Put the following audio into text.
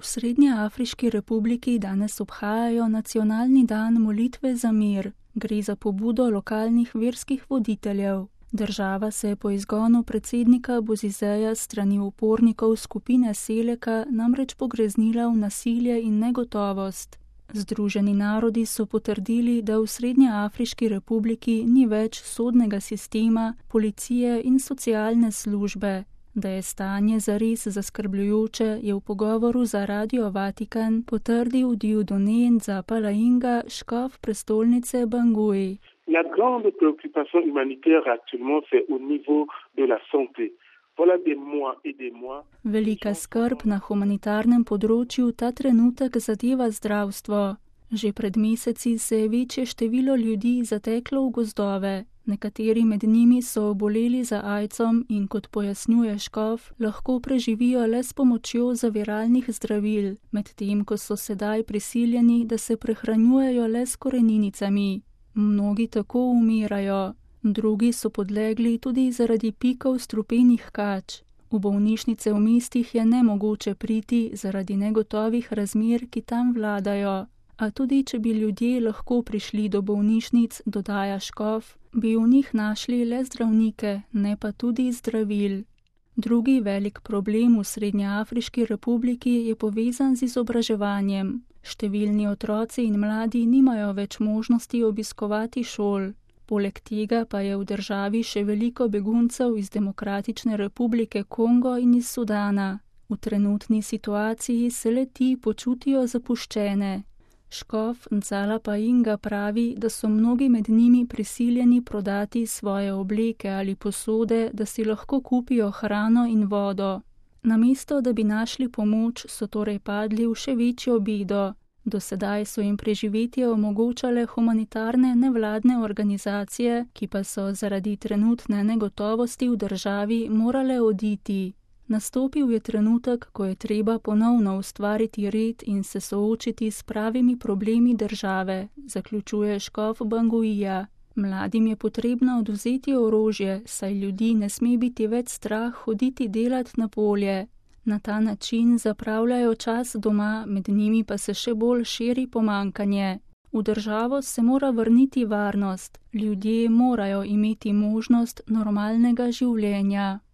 V Srednjeafriški republiki danes obhajajo nacionalni dan molitve za mir. Gre za pobudo lokalnih verskih voditeljev. Država se je po izgonu predsednika Bozizeja strani upornikov skupine Seleka namreč pogreznila v nasilje in negotovost. Združeni narodi so potrdili, da v Srednjeafriški republiki ni več sodnega sistema, policije in socialne službe. Da je stanje zares zaskrbljujoče, je v pogovoru za Radio Vatikan potrdil Dieudonné Nzapalainga, škof prestolnice Bangui. La grande préoccupation humanitaire actuellement c'est au niveau de la santé. Voilà des mois et des mois. Velika skrb na humanitarnem področju ta trenutek zadeva zdravstvo. Že pred meseci se je večje število ljudi zateklo v gozdove. Nekateri med njimi so oboleli za aidsom in, kot pojasnjuje škof, lahko preživijo le s pomočjo zaviralnih zdravil, medtem ko so sedaj prisiljeni, da se prehranjujejo le s koreninicami. Mnogi tako umirajo, drugi so podlegli tudi zaradi pikov strupenih kač. V bolnišnice v mestih je nemogoče priti zaradi negotovih razmer, ki tam vladajo. A tudi, če bi ljudje lahko prišli do bolnišnic, dodaja škof, bi v njih našli le zdravnike, ne pa tudi zdravil. Drugi velik problem v Srednjeafriški republiki je povezan z izobraževanjem. Številni otroci in mladi nimajo več možnosti obiskovati šol. Poleg tega pa je v državi še veliko beguncev iz Demokratične republike Kongo in iz Sudana. V trenutni situaciji se le ti počutijo zapuščene. Škof Nzapalainga pravi, da so mnogi med njimi prisiljeni prodati svoje obleke ali posode, da si lahko kupijo hrano in vodo. Namesto, da bi našli pomoč, so torej padli v še večjo bedo. Do sedaj so jim preživetje omogočale humanitarne nevladne organizacije, ki pa so zaradi trenutne negotovosti v državi morale oditi. Nastopil je trenutek, ko je treba ponovno ustvariti red in se soočiti s pravimi problemi države, zaključuje škof Banguija. Mladim je potrebno odvzeti orožje, saj ljudi ne sme biti več strah hoditi delat na polje. Na ta način zapravljajo čas doma, med njimi pa se še bolj širi pomankanje. V državo se mora vrniti varnost, ljudje morajo imeti možnost normalnega življenja.